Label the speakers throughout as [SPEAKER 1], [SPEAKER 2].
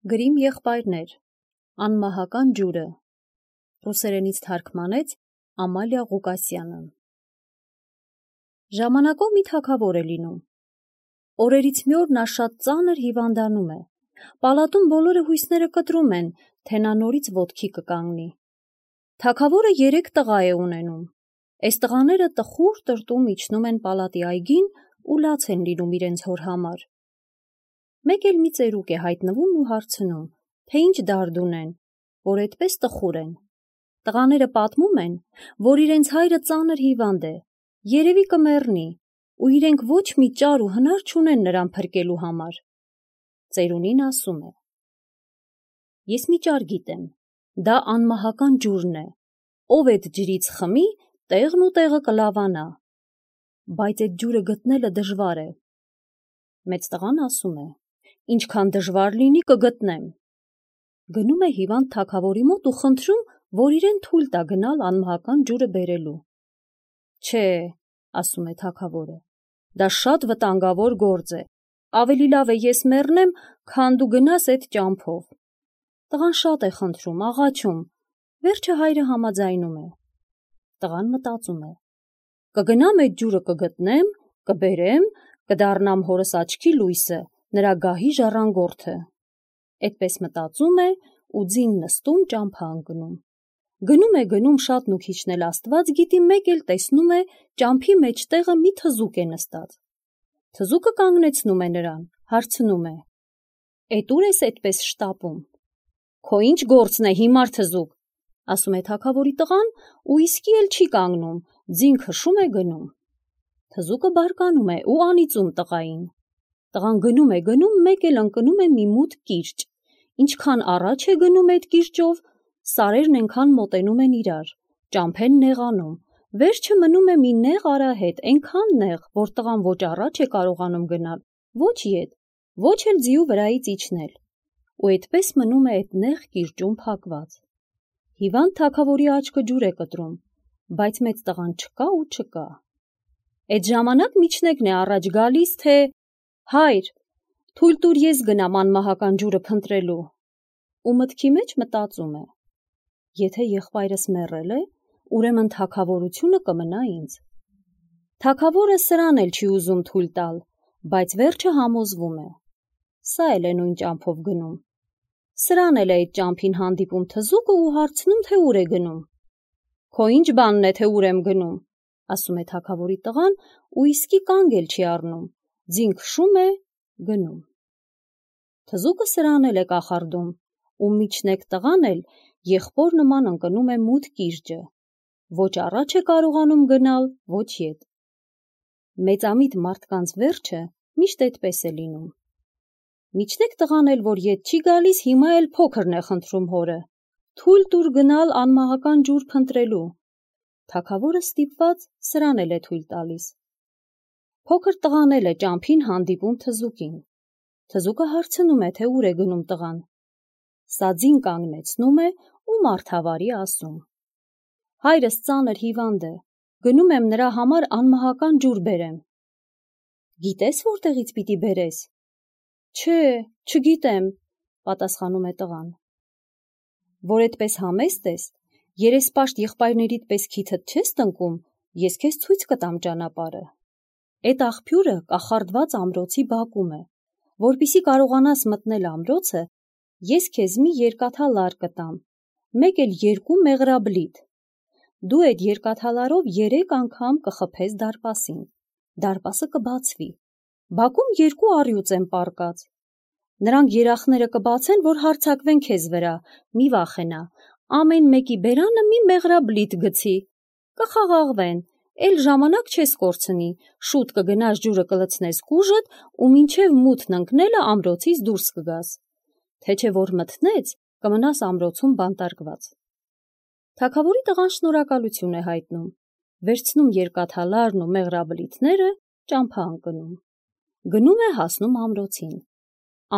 [SPEAKER 1] Գրիմ եղբայրներ, անմահական ջուրը, ռուսերենից թարգմանեց Ամալիա Ղուկասյանը։ Ժամանակով մի թագավոր է լինում։ Օրերից մի օր նա շատ ծանր հիվանդանում է։ Պալատում բոլորը հույսները կտրում են, թե նա նորից ոտքի կկանգնի։ Թագավորը 3 տղա է ունենում։ Այս տղաները տխուր տրտում իջնում են պալատի այգին ու լաց են լինում իրենց հոր համար։ Մեկ էլ մի ծերուկ է հայտնվում ու հարցնում, թե ինչ դարդ ունեն, որ այդպես տխուր են։ Տղաները պատմում են, որ իրենց հայրը ծանր հիվանդ է, երևի կմեռնի, ու իրենք ոչ մի ճար ու հնար չունեն նրան փրկելու համար։ Ծերունին ասում է. Ես մի ճար գիտեմ, դա անմահական ջուրն է, ով այդ ջրից խմի, տեղն ու տեղը կլավանա, բայց այդ ջուրը գտնելը դժվար է։ Մեծ տղան ասում է. ինչքան դժվար լինի կգտնեմ։ Գնում է հիվանդ թագավորի մոտ ու խնդրում, որ իրեն թույլ տա գնալ անմահական ջուրը բերելու։ Չէ, ասում է թագավորը, դա շատ վտանգավոր գործ է, ավելի լավ է ես մեռնեմ, քան դու գնաս այդ ճամփով։ Տղան շատ է խնդրում, աղաչում, վերջը հայրը համաձայնում է։ Տղան մտածում է. կգնամ այդ ջուրը կգտնեմ, կբերեմ, կդառնամ հորս աչքի լույսը, նրա գահի ժառանգորդը։ Այդպես մտածում է ու ձին նստում ճամփա ընկնում։ Գնում շատն ու քիչն էլ Աստված գիտի, մեկ էլ տեսնում է ճամփի մեջտեղը մի թզուկ է նստած։ Թզուկը կանգնեցնում է նրան, հարցնում է. Էդ ուր ես այդպես շտապում։ Քո ինչ գործն է, հիմար թզուկ, ասում է թագավորի տղան ու իսկի էլ չի կանգնում, ձին քշում է գնում։ Թզուկը բարկանում է ու անիծում տղային։ Տղան գնում, մեկ էլ ընկնում է մի մութ կիրճ։ Ինչքան առաջ է գնում այդ կիրճով, սարերն այնքան մոտենում են իրար, ճամփեն նեղանում, վերջը մնում է մի նեղ արահետ, այնքան նեղ, որ տղան ոչ առաջ է կարողանում գնալ, ոչ ետ, ոչ էլ ձիու վրայից իջնել, ու այդպես մնում է այդ նեղ կիրճում փակված։ Հիվանդ թագավորի աչքը ջուր է կտրում, բայց մեծ տղան չկա ու չկա։ Այդ ժամանակ միջնեկն է առաջ գալիս, թե հայր, թույլ տուր ես գնամ անմահական ջուրը փնտրելու, ու մտքի մեջ մտածում է. եթե եղբայրս մեռել է, ուրեմն թագավորությունը կմնա ինձ։ Թագավորը սրան էլ չի ուզում թույլ տալ, բայց վերջը համոզվում է։ Սա էլ է նույն ճամփով գնում։ Սրան էլ է այդ ճամփին հանդիպում թզուկը ու հարցնում, թե ուր է գնում։ Քո ինչ բանն է, թե ուր եմ գնում, ասում է թագավորի տղան ու իսկի կանգ էլ չի առնում, ձին քշում է, գնում։ Թզուկը սրան էլ է կախարդում, ու միջնեկ տղան էլ եղբոր նման ընկնում է մութ կիրճը, ոչ առաջ է կարողանում գնալ, ոչ ետ։ Մեծամիտ մարդկանց վերջը միշտ այդպես է լինում։ Միջնեկ տղան էլ, որ ետ չի գալիս, հիմա էլ փոքրն է խնդրում հորը, թույլ տուր գնալ անմահական ջուր փնտրելու։ Թագավորը ստիպված սրան էլ է թույլ տալիս։ Փոքր տղան էլ է ճամփին հանդիպում թզուկին։ Թզուկը հարցնում է, թե ուր է գնում տղան։ Սա ձին կանգնեցնում է ու մարդավարի ասում. հայրս ծանր հիվանդ է, գնում եմ նրա համար անմահական ջուր բերեմ։ Գիտես որտեղից պիտի բերես։ Չէ, չգիտեմ, պատասխանում է տղան։ Որ այդպես համեստ ես, երեսպաշտ եղբայրներիդ պես քիթդ չես տնկում, ես քեզ ցույց կտամ ճանապարհը։ Այդ աղբյուրը կախարդված ամրոցի բակում է, որպեսզի կարողանաս մտնել ամրոցը, ես քեզ մի երկաթալար կտամ, մեկ էլ 2 մեղրաբլիթ։ Դու այդ երկաթալարով 3 անգամ կխփես դարպասին, դարպասը կբացվի, բակում 2 առյուծ են պառկած։ Նրանք երախները կբացեն, որ հարձակվեն քեզ վրա, մի վախենա, ամեն մեկի բերանը մի մեղրաբլիթ գցի, կխաղաղվեն, էլ ժամանակ չես կորցնի, շուտ կգնաս ջուրը կլցնես կուժդ ու մինչև մութն ընկնելը ամրոցից դուրս կգաս, թե չէ որ մթնեց, կմնաս ամրոցում բանտարկված։ Թագավորի տղան շնորհակալություն է հայտնում, վերցնում երկաթալարն ու մեղրաբլիթները, ճամփա ընկնում։ Գնում է հասնում ամրոցին։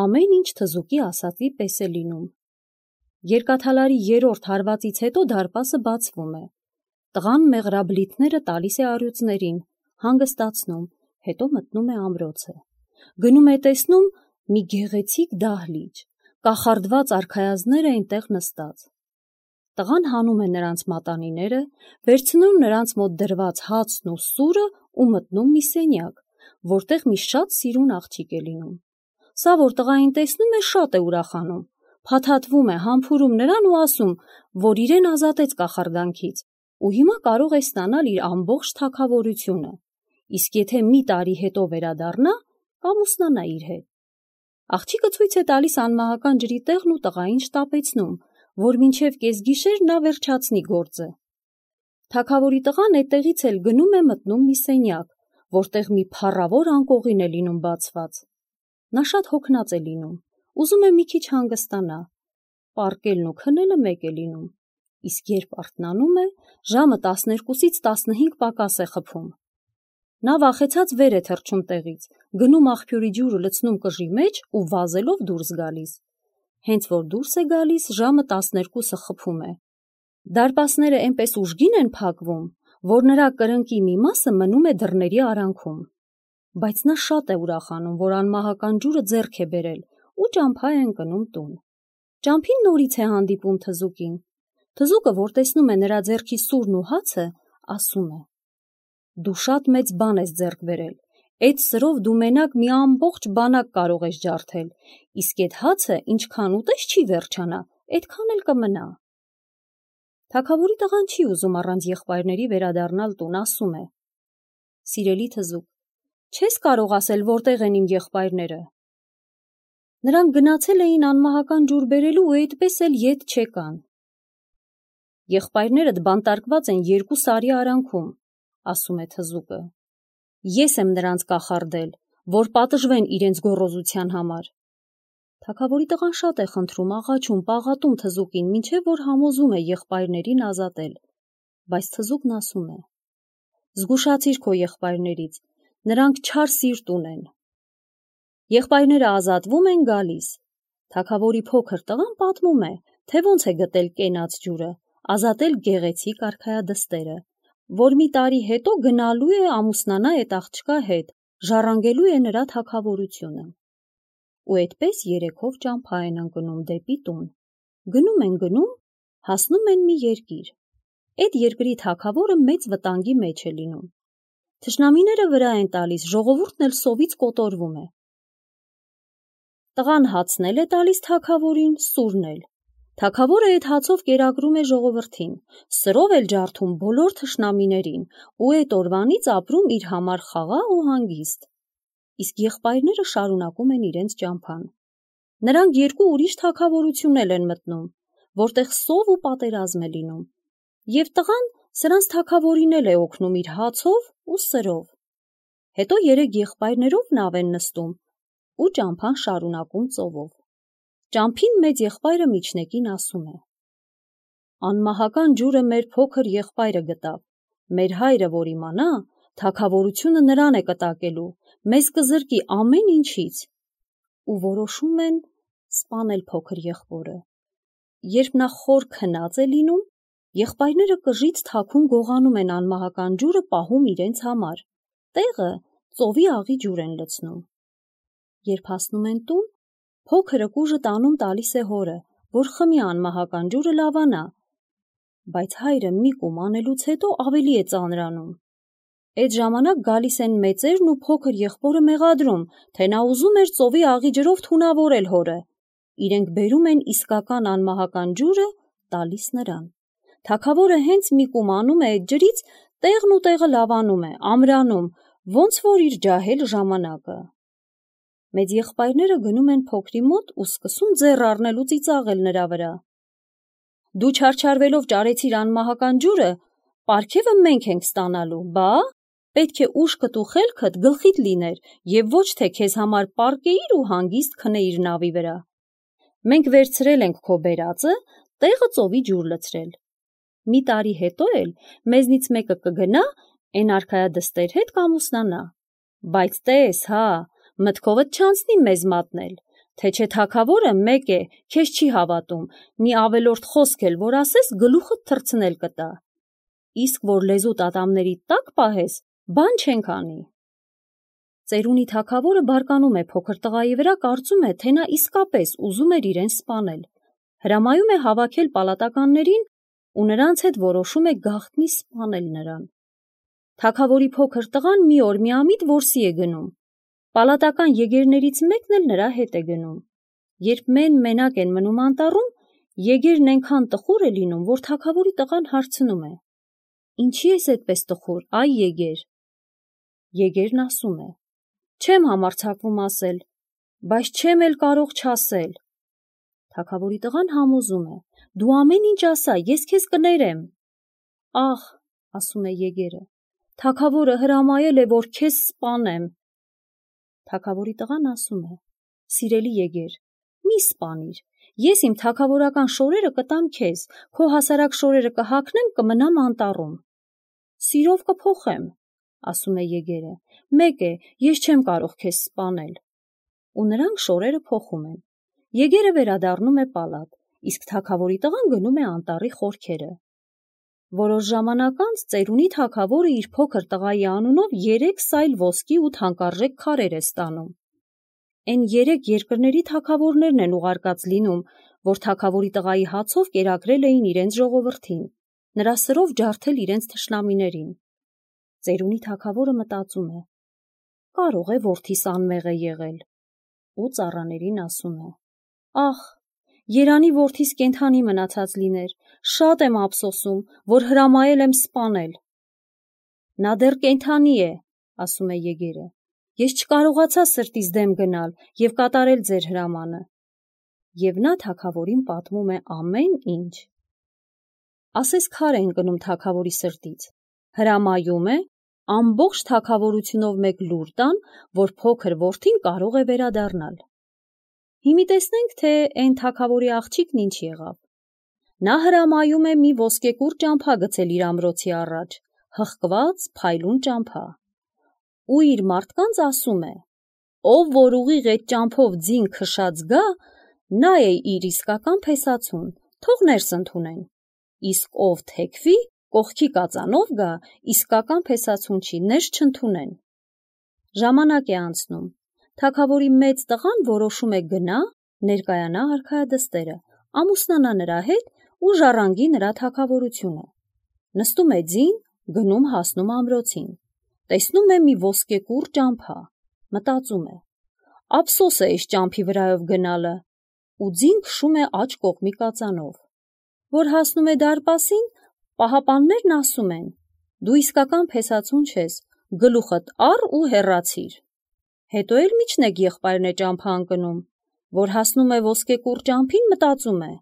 [SPEAKER 1] Ամեն ինչ թզուկի ասածի պես է լինում։ Երկաթալարի 3-րդ հարվածից հետո դարպասը բացվում է։ Տղան մեղրաբլիթները տալիս է առյուծներին, հանգստացնում, հետո մտնում է ամրոցը։ Գնում է տեսնում մի գեղեցիկ դահլիճ, կախարդված արքայազներ էին տեղ նստած։ Տղան հանում է նրանց մատանիները, վերցնում նրանց մոտ դրված հացն ու սուրը ու մտնում մի սենյակ, որտեղ մի շատ սիրուն աղջիկ է լինում։ Սա, որ տղային տեսնում է, շատ է ուրախանում, փաթաթվում է, համբուրում նրան ու ասում, որ իրեն ազատեց կախարդանքից ու հիմա կարող է ստանալ իր ամբողջ թագավորությունը, իսկ եթե մի տարի հետո վերադառնա, կամուսնանա իր հետ։ Աղջիկը ցույց է տալիս անմահական ջրի տեղն ու տղային շտապեցնում, որ մինչև կեսգիշեր նա վերջացնի գործը։ Թագավորի տղան այդտեղից էլ գնում է մտնում մի սենյակ, որտեղ մի փառավոր անկողին է լինում բացված։ Նա շատ հոգնած է լինում, ուզում է մի քիչ հանգստանա, պառկելն ու քնելը մեկ է լինում, իսկ երբ արթնանում է, ժամը 12-ից 15 պակաս է խփում։ Նա վախեցած վեր է թռչում տեղից, գնում աղբյուրի ջուրը լցնում կժի մեջ ու վազելով դուրս գալիս։ Հենց որ դուրս է գալիս, ժամը 12-ը խփում է։ Դարպասները այնպես ուժգին են փակվում, որ նրա կրնկի մի մասը մնում է դռների արանքում։ Բայց նա շատ է ուրախանում, որ անմահական ջուրը ձեռք է բերել ու ճամփա է ընկնում տուն։ Ճամփին նորից է հանդիպում թզուկին։ Թզուկը, որ տեսնում է նրա ձեռքի սուրն ու հացը, ասում է. «Դու շատ մեծ բան ես ձեռք բերել։ Այդ սրով դու մենակ մի ամբողջ բանակ կարող ես ջարդել, իսկ այդ հացը ինչքան ուտես չի վերջանա, այդքան էլ կմնա»։ Թագավորի տղան չի ուզում առանց եղբայրների վերադառնալ տուն, ասում է. «Սիրելի թզուկ, չես կարող ասել որտեղ են իմ եղբայրները։ Նրանք գնացել էին անմահական ջուր բերելու ու այդպես էլ ետ չեկան»։ «Եղբայրներդ բանտարկված են 2 սարի արանքում», ասում է թզուկը։ «Ես եմ նրանց կախարդել, որ պատժվեն իրենց գոռոզության համար»։ Թագավորի տղան շատ է խնդրում, աղաչում, պաղատում թզուկին, մինչև որ համոզում է եղբայրներին ազատել, բայց թզուկն ասում է. «Զգուշացիր քո եղբայրներից, նրանք չար սիրտ ունեն»։ Եղբայրները ազատվում են, գալիս։ Թագավորի փոքր տղան պատմում է, թե ոնց է գտել կենաց ջուրը, ազատել գեղեցիկ արքայադստերը, որ մի տարի հետո գնալու է ամուսնանա այդ աղջկա հետ, ժառանգելու է նրա թագավորությունը։ Ու այդպես 3-ով ճամփա են ընկնում դեպի տուն։ Գնում, հասնում են մի երկիր։ Այդ երկրի թագավորը մեծ վտանգի մեջ է լինում։ Թշնամիները վրա են տալիս, ժողովուրդն էլ սովից կոտորվում է։ Տղան հացն է տալիս թագավորին, սուրն էլ։ Թագավորը այդ հացով կերակրում է ժողովրդին, սրով էլ ջարդում բոլոր թշնամիներին ու այդ օրվանից ապրում իր համար խաղաղ ու հանգիստ։ Իսկ եղբայրները շարունակում են իրենց ճամփան։ Նրանք 2 ուրիշ թագավորություններ են մտնում, որտեղ սով ու պատերազմ է լինում, եւ տղան սրանց թագավորին էլ է օգնում իր հացով ու սրով։ Հետո 3 եղբայրներով նավ են նստում ու ճամփան շարունակում ծովով։ Ճամփին մեծ եղբայրը միջնեկին ասում է. «Անմահական ջուրը մեր փոքր եղբայրը գտավ, մեր հայրը որ իմանա, թագավորությունը նրան է կտակելու, մեզ կզրկի ամեն ինչից»։ Ու որոշում են սպանել փոքր եղբորը։ Երբ նա խոր քնած է լինում, եղբայրները կժից թաքուն գողանում են անմահական ջուրը պահում իրենց համար, տեղը ծովի աղի ջուր են լցնում։ Երբ հասնում են տուն, փոքրը կուժը տանում տալիս է հորը, որ խմի անմահական ջուրը լավանա, բայց հայրը մի կում անելուց հետո ավելի է ծանրանում։ Այդ ժամանակ գալիս են մեծերն ու փոքր եղբորը մեղադրում, թե նա ուզում էր ծովի աղի ջրով թունավորել հորը։ Իրենք բերում են իսկական անմահական ջուրը, տալիս նրան։ Թագավորը հենց մի կում անում է այդ ջրից, տեղն ու տեղը լավանում է, ամրանում, ոնց որ իր ջահել ժամանակը։ Մեծ եղբայրները գնում են փոքրի մոտ ու սկսում ձեռ առնել ու ծիծաղել նրա վրա։ «Դու չարչարվելով ճարեցիր անմահական ջուրը, պարգևը մենք ենք ստանալու, բա պետք է ուշքդ ու խելքդ գլխիդ լիներ եւ ոչ թե քեզ համար պառկեիր ու հանգիստ քնեիր նավի վրա։ Մենք վերցրել ենք քո բերածը, տեղը ծովի ջուր լցրել։ Մի տարի հետո էլ մեզնից մեկը կգնա, այն արքայադստեր հետ կամուսնանա։ Բայց տես, հա, մտքովդ չանցնի մեզ մատնել, թե չէ թագավորը մեկ է, քեզ չի հավատում, մի ավելորդ խոսք էլ որ ասես, գլուխդ թռցնել կտա։ Իսկ որ լեզուդ ատամների տակ պահես, բան չենք անի»։ Ծերունի թագավորը բարկանում է փոքր տղայի վրա, կարծում է, թե նա իսկապես ուզում էր իրեն սպանել։ Հրամայում է հավաքել պալատականներին ու նրանց հետ որոշում է գաղտնի սպանել նրան։ Թագավորի փոքր տղան մի օր միամիտ որսի է գնում։ Պալատական եկերներից մեկն էլ նրա հետ է գնում։ Երբ մենակ են մնում անտառում, եկերն այնքան տխուր է լինում, որ թագավորի տղան հարցնում է. «Ինչի ես այդպես տխուր, այ եկեր»։ Եկերն ասում է. «Չեմ համարձակվում ասել, բայց չեմ էլ կարող չասել»։ Թագավորի տղան համոզում է. «Դու ամեն ինչ ասա, ես քեզ կներեմ»։ «Ախ», ասում է եկերը, «թագավորը հրամայել է, որ քեզ սպանեմ»։ Թագավորի տղան ասում է. «Սիրելի եկեր, մի սպանիր, ես իմ թագավորական շորերը կտամ քեզ, քո հասարակ շորերը կհագնեմ, կմնամ անտառում»։ «Սիրով կփոխեմ», ասում է եկերը, «մեկ է, ես չեմ կարող քեզ սպանել»։ Ու նրանք շորերը փոխում են։ Եկերը վերադառնում է պալատ, իսկ թագավորի տղան գնում է անտառի խորքերը։ Որոշ ժամանակ անց ծերունի թագավորը իր փոքր տղայի անունով 3 սայլ ոսկի ու թանկարժեք քարեր է ստանում։ Այն 3 երկրների թագավորներն են ուղարկած լինում, որ թագավորի տղայի հացով կերակրել էին իրենց ժողովրդին, նրա սրով ջարդել իրենց թշնամիներին։ Ծերունի թագավորը մտածում է. կարող է որդիս անմեղ է եղել, ու ծառաներին ասում է. «Ախ, երանի որդիս կենդանի մնացած լիներ, շատ եմ ափսոսում, որ հրամայել եմ սպանել»։ «Նա դեռ կենդանի է», ասում է եկերը, «ես չկարողացա սրտիս դեմ գնալ և կատարել ձեր հրամանը»։ Եվ նա թագավորին պատմում է ամեն ինչ։ Ասես քար է ընկնում թագավորի սրտից, հրամայում է ամբողջ թագավորությունով մեկ լուր տան, որ փոքր որդին կարող է վերադառնալ։ Հիմի տեսնենք, թե այն թագավորի աղջիկն ինչ եղավ։ Նա հրամայում է մի ոսկեկուռ ճամփա գցել իր ամրոցի առաջ, հղկված փայլուն ճամփա, ու իր մարդկանց ասում է. «Ով որ ուղիղ այդ ճամփով ձին քշած գա, նա է իր իսկական փեսացուն, թող ներս ընդունեն, իսկ ով թեքվի, կողքի կածանով գա, իսկական փեսացուն չի, ներս չընդունեն»։ Ժամանակ է անցնում։ Թագավորի մեծ տղան որոշում է գնա, ներկայանա արքայադստերը, ամուսնանա նրա հետ ու ժառանգի նրա թագավորությունը։ Նստում է ձին, գնում հասնում ամրոցին, տեսնում է մի ոսկեկուռ ճամփա, մտածում է. «Ափսոս է այս ճամփի վրայով գնալը», ու ձին քշում է աջ կողմի կածանով։ Որ հասնում է դարպասին, պահապաններն ասում են. «Դու իսկական փեսացուն չես, գլուխդ առ ու հեռացիր»։ Հետո էլ միջնեկ եղբայրն է ճամփա ընկնում, որ հասնում է ոսկեկուռ ճամփին, մտածում է.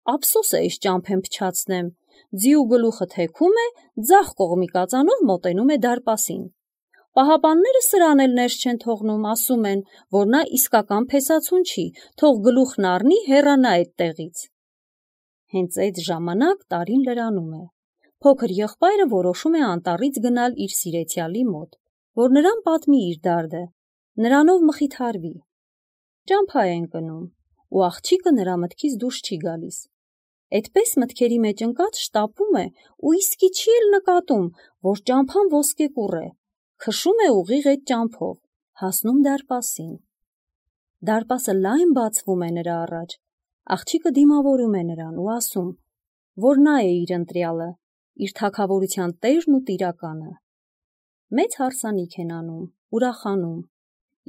[SPEAKER 1] «Ափսոս է այս ճամփեն փչացնեմ», ձիու գլուխը թեքում է, ձախ կողմի կածանով մոտենում է դարպասին։ Պահապանները սրան էլ ներս չեն թողնում, ասում են, որ նա իսկական փեսացուն չի, թող գլուխն առնի, հեռանա այդտեղից։ Հենց այդ ժամանակ տարին լրանում է։ Փոքր եղբայրը որոշում է անտառից գնալ իր սիրեցյալի մոտ, որ նրան պատմի իր դարդը, նրանով մխիթարվի։ Ճամփա է ընկնում, ու աղջիկը նրա մտքից դուրս չի գալիս։ Այդպես մտքերի մեջ ընկած շտապում է ու իսկի չի էլ նկատում, որ ճամփան ոսկեկուռ է, քշում է ուղիղ այդ ճամփով, հասնում դարպասին։ Դարպասը լայն բացվում է նրա առաջ, աղջիկը դիմավորում է նրան ու ասում, որ նա է իր ընտրյալը, իր թագավորության տերն ու տիրականը։ Մեծ հարսանիք են անում, ուրախանում,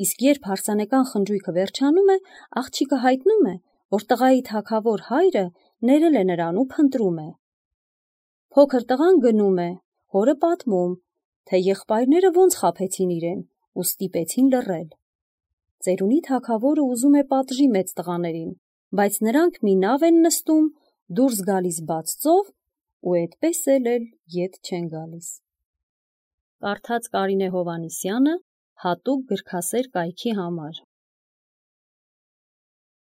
[SPEAKER 1] իսկ երբ հարսանեկան խնջույքը վերջանում է, աղջիկը հայտնում է, որ տղայի թագավոր հայրը ներել է նրան ու փնտրում է։ Փոքր տղան գնում է, հորը պատմում, թե եղբայրները ոնց խաբեցին իրեն ու ստիպեցին լռել։ Ծերունի թագավորը ուզում է պատժի մեծ տղաներին, բայց նրանք մի նավ են նստում, դուրս գալիս բաց ծով ու այդպես էլ ետ չեն գալիս։ Կարդաց Կարինե Հովհաննիսյանը հատուկ գրքասեր կայքի համար։